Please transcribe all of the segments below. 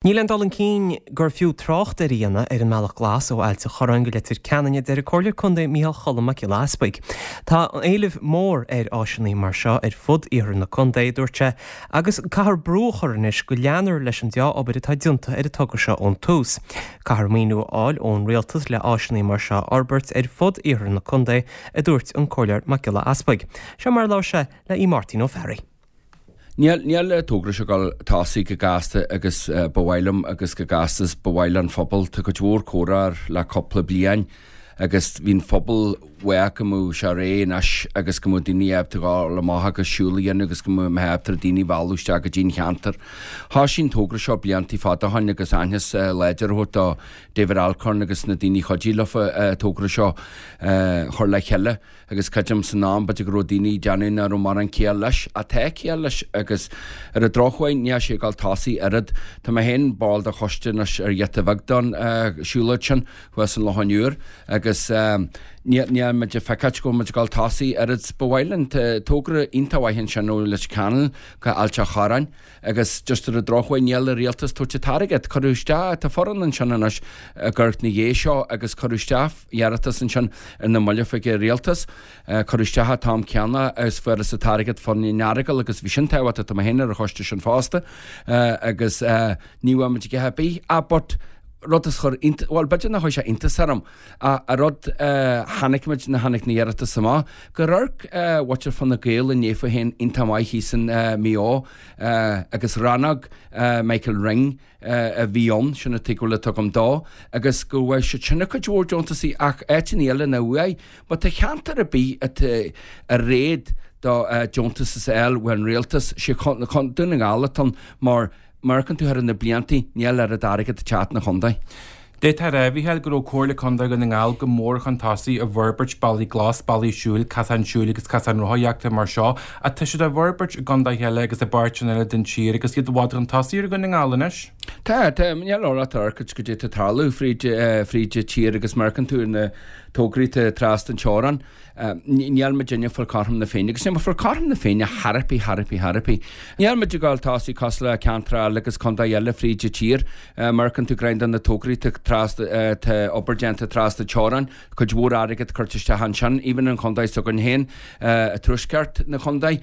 Níl aon dul chun cinn gur fiú trácht air a dhéanamh ar an mBealach Glas ó Ailt an Chorráin go Leitir Ceanainn, a deir an Comhairleoir Contae Micheál Cholm Mac Giolla Easpaig. Tá éileamh mór ar áiseanna mar seo ar fud iarthar na contae, a dúirt sé, agus caithfear brú a chur anois go leanfar leis an dea-obair atá déanta ar an togra seo ón tús. Caithfear maoiniú a fháil ón rialtas le áiseanna mar seo a fhorbairt ar fud iarthar na contae, a dúirt an Comhairleoir Mac Giolla Easpaig. Seo mar a labhair sé le Aodh Máirtín Ó Fearraigh. Níl, níl an togra seo ag dul tosaigh chomh gasta agus ba mhaith liom agus chomh gasta is ba mhaith leis an phobal. Tá cuid mhór comhrá air le cúpla bliain agus bhí an phobal uaidh go mbeadh sé réidh anois agus go mbeadh daoine ábalta dhul amach agus siúl a dhéanamh agus go mbeadh ábalta daoine a mhealladh isteach go dtí an cheantar. Thoisigh an togra seo bliantaí fada ó shoin agus aitheantas láidir a thabhairt do David Alcorn agus na daoine a chuidigh leofa an togra seo a chur le chéile. Agus creidim san am, b'fhéidir go raibh daoine ag déanamh nach raibh mórán ciall leis, ach tá ciall leis agus ar an drochuair níl sé ag dul tosaigh oiread. Tá mé féin ball de choiste anois ar ghiota bheag don siúlóid sin thuas an Lochán Úr agus níl níl muid ag feiceáilt go bhfuil muid ag dul tosaigh oiread 's ba mhaith linn. Tá togra iontach mhaith ansin ó Leitir Ceanainn go Ailt a' Chorráin agus just ar an drochuair níl an rialtas tabhairt an t-airgead. Cuireadh isteach, tá foireann ansin anois ag amharc na dhiaidh seo agus cuireadh isteach iarratas ansin ar na mallaibh chuig an rialtas. Cuireadh isteach an t-am céanna agus fuarthas an t-airgead fán Earagail agus bhí sin tábhachtach, tá mé féin ar an choiste sin fosta agus ní bhfuair muid a dhath ar bith ach but rud is chuir iontas, bhuel b'fhéidir nach chuir sé iontas orm ach an rud a chonaic muid nuair a tháinig na hiarratais amach gur amharc muintir Fine Gael a ndéanfa féin iontach maith thíos in Maigh Eo agus rannóg Michael Ring a bhí ann, sin an tuigbheáil atá agam dó, agus go bhfuair siad sin a cuid mhór deontasaí ach áiteanna eile nach bhfuair. Má tá cheantar ar bith atá ar réad do deontas a fháil ón rialtas, sé Dún na nGall atá ann mar má amharcann tú thar na bliantaí níl oiread airgead ag teacht 'na chontae. D'fhéadfá a rá, a Mhícheáil, go raibh Comhairle Contae Dhún na nGall go mór chun tosaigh i bhforbairt bealaí glas, bealaí siúil, casáin siúil agus casáin rothaíochta mar seo, ach tá siad á bhforbairt i gcontaetha eile agus i bpáirteanna eile den tír agus iad i bhfad chun tosaigh ar Dhún na nGall anois. Tá, tá. Níl amhrás ort goidé tá ag tarlú fríd, fríd an tír agus má amharcann tú ar na tograí atá trasna an teorainn, Níl muidinne ag fáil cothrom na Féinne, agus níl muid ag fáil cothrom na Féinne chor ar bith, chor ar bith, chor ar bith. Níl muid ag dul tosaigh cosúil le ceantar eile agus contae eile fríd an tír. Má amharcann tú greim de na tograí tá trasna, tá obair déanta trasna teorainn, cuid mhór airgead curtha isteach ansin, even an chontae s'againn féin, i tuaisceart na chontae.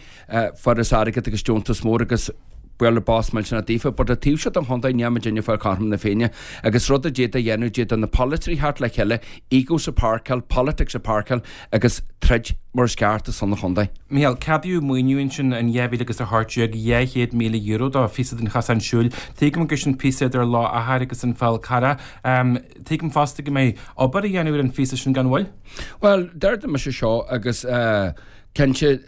Fuarthas airgead agus deontas mór agus bualadh bos millteanach daofa, but an taobh seo den chontae níl muidinne ag fáil cothrom na Féinne agus rud a d'fhéadfá a dhéanamh, d'fhéadfadh na polaiteoirí theacht le chéile, egos a pháirceáil, politics a pháirceáil agus troid mar is ceart ar son an chontae. Micheál, ceadaíodh maoiniú ansin in 2018, €200,000 do phíosa den chosán siúil. Tuigim gur sin píosa idir Loch Achair agus an Fál Carrach. Tuigim fosta go mbeidh obair á dhéanamh ar an phíosa sin gan mhoill. Bhuel, déarfaidh mise seo agus cinnte,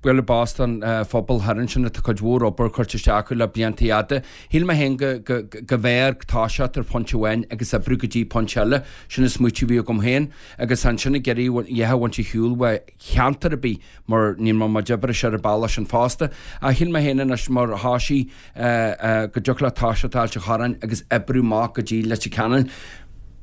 bualadh bos don phobal thoir ansin atá cuid mhór obair curtha isteach acu le blianta fhada. Shíl mé féin go go mb'fhearr toiseacht ar phointe amháin agus oibriú go dtí pointe eile. Sin an smaoitiú a bhí agam féin agus ansin ag iarraidh a dhath a bhaint ar shiúl ó cheantar ar bith mar níl mé muid oibre ar an bealach sin fosta. Ach shíl mé féin anois mar thoisigh go dtiocfadh leat toiseacht Ailt an Chorráin agus oibriú amach go dtí Leitir Ceanainn.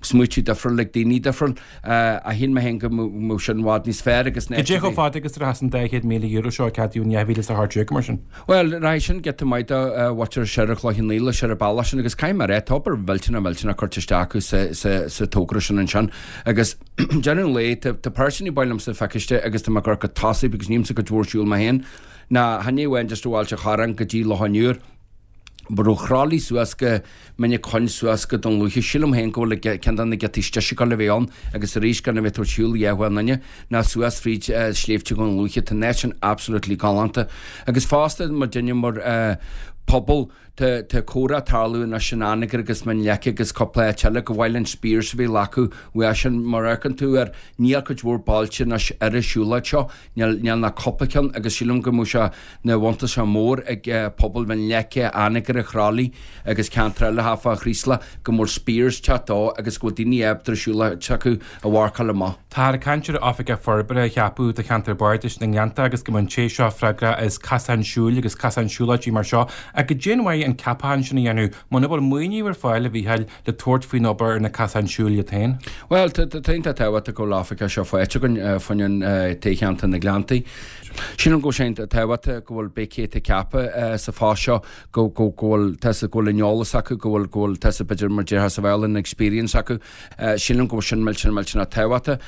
Smaoitiú difriúil ag daoine difriúil. Ach shíl mé féin go mbeadh sin i bhfad níos fearr agus na. Cad é chomh fada agus a rachas an €200,000 seo a ceadaíodh in 2018 mar sin? Bhuel, rachaidh sin giota maith do mhuintir soir an Chloich Cheann Fhaola soir an bealach sin agus caithfidh mé a rá, tá obair mhillteanach mhillteanach curtha isteach acu sa togra sin ansin agus deireadh an lae, tá personally ba mhaith liomsa a feiceáil istigh agus tá mé ag cur go tosaigh because nílimse cuid mhór siúil mé féin ná chan é amháin just ó Ailt an Chorráin go dtí Loch an Iúir. But ó Chroithlí suas go Mín an Choinn suas go Dún Lúiche, sílim féin go bhfuil ceann de na giotaí is deise ag gabháil a bheith ann agus arís gan a bheith ag tabhairt shiúl a dhath aon duine ná suas fríd sléibhte Dhún Lúiche, tá an áit sin absolutely galánta. Agus fosta muidinne mar pobal tá tá comhrá ag tarlú anois in Anagaire agus Mín Leice agus cúpla áit eile gur mhaith linn spears a bheith leagtha uaidh sin mar amharcann tú air níl cuid mhór bailte anois ar an siúlóid seo níl níl ach cúpla ceann agus sílim go mbeadh sé 'na bhuntáiste mór ag pobal Mhín Leice, Anagaire, Chroithlí agus ceantar eile thart fá Chraoslach go bhfuil spears teacht dó agus go bhfuil daoine ábalta ar siúlóid s'acu a mharcáil amach. Táthar ag caint ar oifigeach forbartha a cheapadh do cheantar Bardais na nGleannta agus go mbeidh an té seo freagrach as casáin siúil agus casáin siúlóidí mar seo. Ach goidé an mhaith. doiligh an ceapachán sin a dhéanamh muna bhfuil maoiniú ar fáil, a Mhícheáil, le tabhairt faoin obair ar na casáin siúil iad féin. Bhuel, tá iontach tábhachtach go bhfuil oifigeach seo faighte againn fá choinne toghcheantar na nGleanntaí. Sílim go bhfuil sé iontach tábhachtach go bhfuil pé cé atá ceaptha sa phost seo go go bhfuil tá go bhfuil an eolas acu, go bhfuil go bhfuil tá b'fhéidir mar déarfá sa Bhéarla an experience acu. Sílim go bhfuil sin millteanach millteanach tábhachtach.